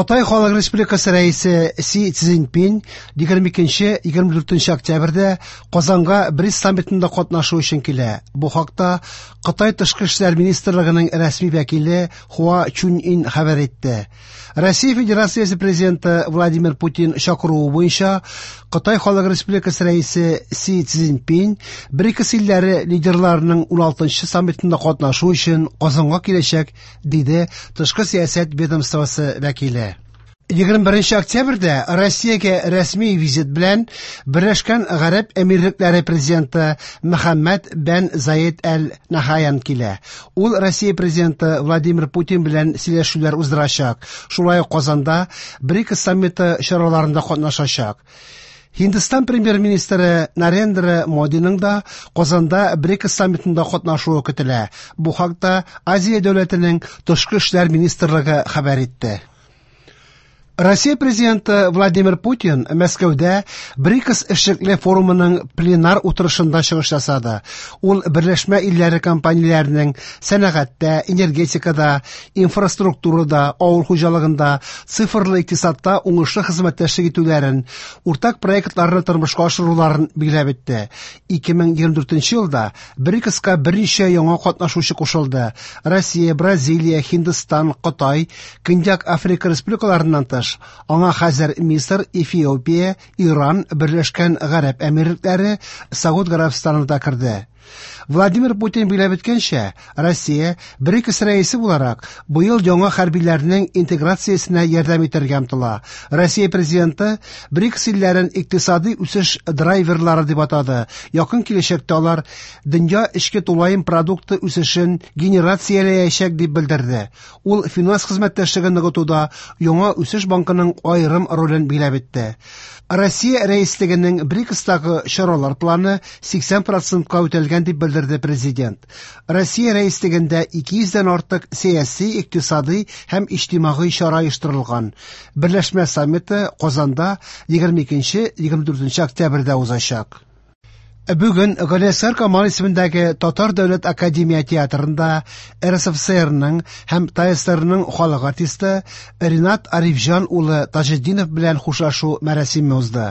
Кытай Халык Республикасы Рәисе Си Цзиньпин 22-24 октябрьдә Казанга БРИКС саммитында катнашу өчен килә. Бу хакта Кытай тышкы эшләр министрлыгының рәсми вәкиле Хуа Чуньин хәбәр итте. Россия Федерациясе президенты Владимир Путин чакыруы буенча Кытай Халык Республикасы Рәисе Си Цзиньпин БРИКС илләре лидерларының 16 саммитында катнашу өчен Казанга киләчәк, диде тышкы сәясәт ведомствосы вәкиле. 21 октябрьдә Россиягә рәсми визит белән Берләшкән Гарәп Әмирлекләре президенты Мөхәммәд бән Заед әл-Нахаян килә. Ул Россия президенты Владимир Путин белән сөйләшүләр уздырачак. Шулай ук Казанда БРИКС саммиты чараларында катнашачак. Һиндстан премьер-министры Нарендра Модиның да Казанда БРИКС саммитында катнашуы көтелә. Бу хакта Азия дәүләтенең тышкы эшләр министрлыгы хәбәр итте. Россия президенты Владимир Путин Мәскәүдә БРИКС эшлекле форумының пленар утырышында чыгыш ясады. Ул берләшмә илләре компанияләренең сәнәгатьтә, энергетикада, инфраструктурада, авыл хуҗалыгында, цифрлы икътисадта уңышлы хезмәттәшлек итүләрен, уртак проектларны тормышка ашыруларын билгеләп үтте. 2024 елда БРИКСка берничә яңа катнашучы кушылды. Россия, Бразилия, Һиндстан, Кытай, Көньяк Африка республикаларыннан тыш, аңа хәзер Мисыр, Эфиопия, Иран, Берләшкән Гарәп Әмирлекләре, Сауд Гарәбстаны да керде. Владимир Путин билгеләп үткәнчә, Россия БРИКС рәисе буларак быел яңа хәрбиләрнең интеграциясенә ярдәм итәргә омтыла. Россия президенты БРИКС илләрен икътисади үсеш драйверлары дип атады. Якын киләчәктә алар дөнья эчке тулаем продукты үсешен генерацияләячәк дип белдерде. Ул финанс хезмәттәшлеген ныгытуда яңа үсеш банкының аерым ролен билгеләп үтте. Россия рәислегенең БРИКСтагы чаралар планы 80%ка үтәлгән дип белдерде президент. Россия рәислегендә 200 дән артык сәяси, икътисади һәм иҗтимагый чара оештырылган. Берләшмә саммиты Казанда 22-24 октябрьдә узачак. Бүген Галиәсгар Камал исемендәге Татар дәүләт академия театрында РСФСРның һәм ТАССРның халык артисты Ринат Арифҗан улы Таҗетдинов белән хушлашу мәрасиме узды.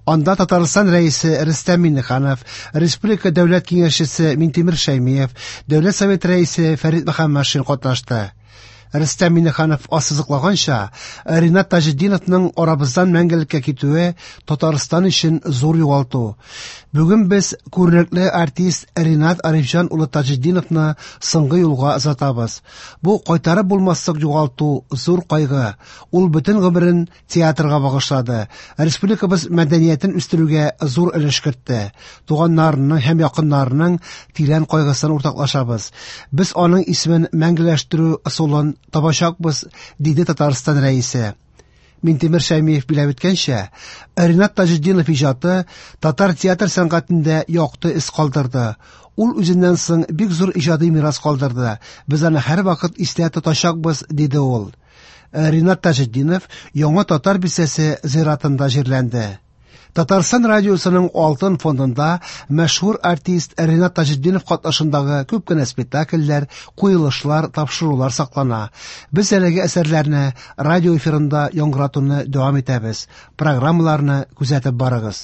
Анда Татарстан Рәисе Рөстәм Миңнеханов, Республика Дәүләт Киңәшчесе Минтимер Шәймиев, Дәүләт Советы Рәисе Фәрит Мөхәммәтшин катнашты. Рөстәм Миңнеханов ассызыклаганча, Ринат Таҗетдиновның арабыздан мәңгелеккә китүе Татарстан өчен зур югалту. Бүген без күренекле артист Ринат Арифҗан улы Таҗетдиновны соңгы юлга озатабыз. Бу кайтарып булмаслык югалту, зур кайгы. Ул бөтен гомерен театрга багышлады, республикабыз мәдәниятен үстерүгә зур өлеш кертте. Туганнарының һәм якыннарының тирән кайгысын уртаклашабыз. Без аның исемен мәңгеләштерү ысулын табачакбыз, диде Татарстан Рәисе. Минтимер Шәймиев билгеләп үткәнчә, Ринат Таҗетдинов иҗаты татар театр сәнгатендә якты эз калдырды. Ул үзеннән соң бик зур иҗади мирас калдырды. Без аны һәрвакыт истә тотачакбыз, диде ул. Ринат Таҗетдинов Яңа Татар бистәсе зиратында җирләнде. Татарстан радиосының алтын фондында мәшһүр артист Ринат Таҗетдинов катнашындагы күп кенә спектакльләр, куелышлар, тапшырулар саклана. Без әлеге әсәрләрне радио эфирында яңгыратуны дәвам итәбез. Программаларны күзәтеп барыгыз.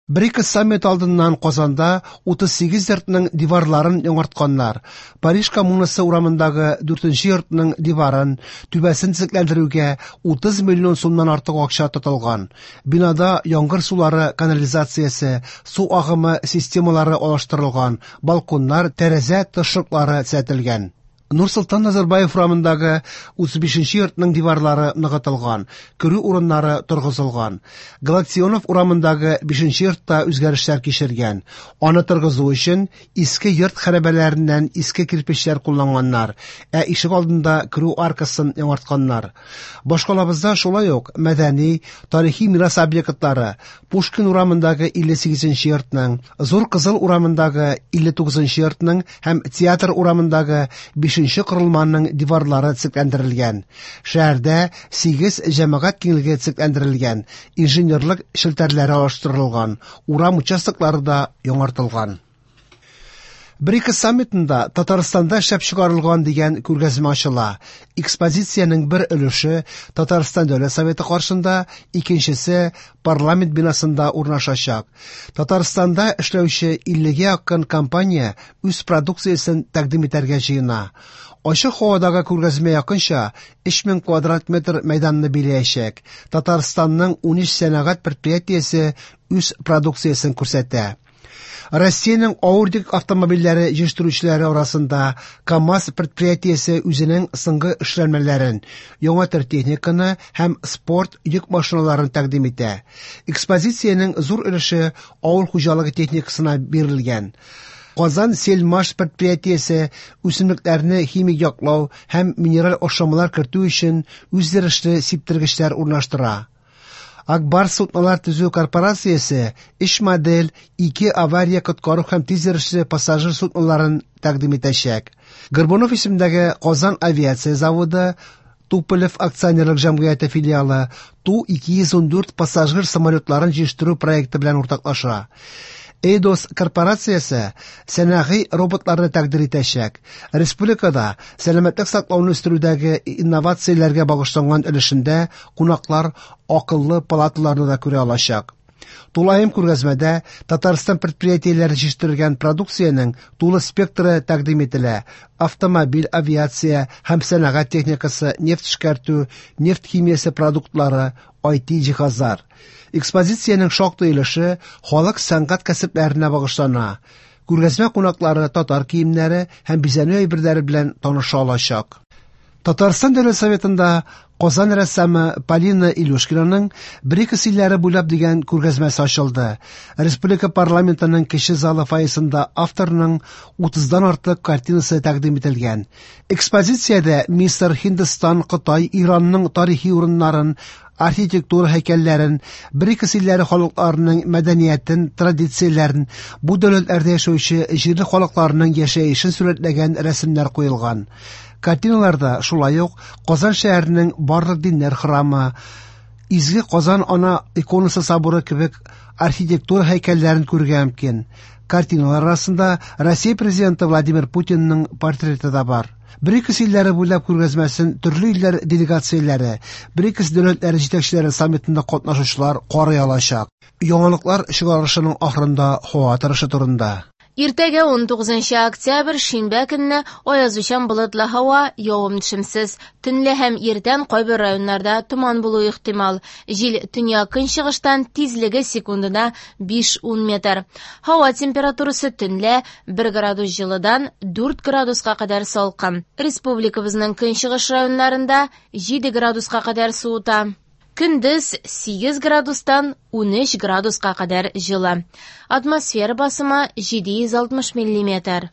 БРИКС саммиты алдыннан Казанда 38 йортның диварларын яңартканнар. Париж коммунасы урамындагы 4 йортның диварын, түбәсен төзекләндерүгә 30 миллион сумнан артык акча тотылган. Бинада яңгыр сулары канализациясе, су агымы системалары алыштырылган, балконнар, тәрәзә тышлыклары төзәтелгән. Нурсолтан Назарбаев урамындагы 35 нче йортның диварлары ныгытылган, керү урыннары торгызылган. Галактионов урамындагы 5 нче йортта үзгәрешләр кичергән. Аны торгызу өчен иске йорт хәрабәләреннән иске кирпечләр кулланганнар, ә ишек алдында керү аркасын яңартканнар. Башкалабызда шулай ук мәдәни, тарихи мирас объектлары, Пушкин урамындагы 58 нче йортның, Зур Кызыл урамындагы 59 нчы йортның һәм Театр урамындагы 5 нче корылманың диварлары төзекләндерелгән. Шәһәрдә 8 җәмәгать киңлеге төзекләндерелгән, инженерлык челтәрләре алыштырылган, урам участоклары да яңартылган. БРИКС саммитында Татарстанда эшләп чыгарылган дигән күргәзмә ачыла. Экспозициянең бер өлеше Татарстан Дәүләт Советы каршында, икенчесе парламент бинасында урнашачак. Татарстанда эшләүче 50гә якын компания үз продукциясен тәкъдим итәргә җыена. Ачык һавадагы күргәзмә якынча 3000 квадрат метр мәйданны биләячәк. Татарстанның 13 сәнәгать предприятиесе үз продукциясен күрсәтә. Россиянең авыр йөк автомобильләре җитештерүчеләре арасында КАМАЗ предприятиесе үзенең соңгы эшләнмәләрен, яңа төр техниканы һәм спорт йөк машиналарын тәкъдим итә. Экспозициянең зур өлеше авыл хуҗалыгы техникасына бирелгән. Казан Сельмаш предприятиесе үсемлекләрне химик яклау һәм минераль ашламалар кертү өчен үзйөрешле сиптергечләр урнаштыра. Ак Барс суднолар төзү корпорациясе өч модель, ике авария коткару һәм тиз йөрешле пассажир судноларын тәкъдим итәчәк. Горбунов исемендәге Казан авиация заводы Туполев акционерлык җәмгыяте филиалы Ту-214 пассажир самолетларын җитештерү проекты белән уртаклаша. Эйдос корпорациясе сәнәгый роботларны тәкъдир итәчәк. Республикада сәламәтлек саклауны үстерүдәге инновацияләргә багышланган өлешендә кунаклар акыллы палаталарны да күрә алачак. Тулаем күргәзмәдә Татарстан предприятиеләре җитештергән продукциянең тулы спектры тәкъдим ителә: автомобиль, авиация һәм сәнәгать техникасы, нефть эшкәртү, нефть химиясе продуктлары, IT җиһазлар. Экспозициянең шактый өлеше халык сәнгать кәсепләренә багышлана. Күргәзмә кунаклары татар киемнәре һәм бизәнү әйберләре белән таныша алачак. Татарстан Дәүләт Советында Казан рәссамы Полина Илюшкинаның БРИКС илләре буйлап дигән күргәзмәсе ачылды. Республика парламентының кече залы фойесында авторның 30-дан артык картинасы тәкъдим ителгән. Экспозициядә Мисыр, Һиндстан, Кытай, Иранның тарихи урыннарын, архитектура һәйкәлләрен, БРИКС илләре халыкларының мәдәниятен, традицияләрен, бу дәүләтләрдә яшәүче җирле халыкларның яшәешен сурәтләгән рәсемнәр куелган. Картиналарда шулай ук Казан шәһәренең барлык диннәр храмы, Изге Казан ана иконасы соборы кебек архитектура һәйкәлләрен күрергә мөмкин. Картиналар арасында Россия президенты Владимир Путинның портреты да бар. БРИКС илләре буйлап күргәзмәсен төрле илләр делегацияләре, БРИКС дәүләтләре җитәкчеләре саммитында катнашучылар карый алачак. Яңалыклар чыгарылышының ахырында һава торышы турында. Иртәгә 19 октябрь шимбә көнне аязучан болытлы һава, явым-төшемсез. Төнлә һәм иртән кайбер районнарда томан булуы ихтимал. Җил төньяк-көнчыгыштан, тизлеге секундына 5-10 метр. Һава температурасы төнлә 1 градус җылыдан 4 градуска кадәр салкын. Республикабызның көнчыгыш районнарында 7 градуска кадәр суыта. Көндез 8 градустан 13 градуска кадәр җылы. Атмосфера басымы 760 миллиметр.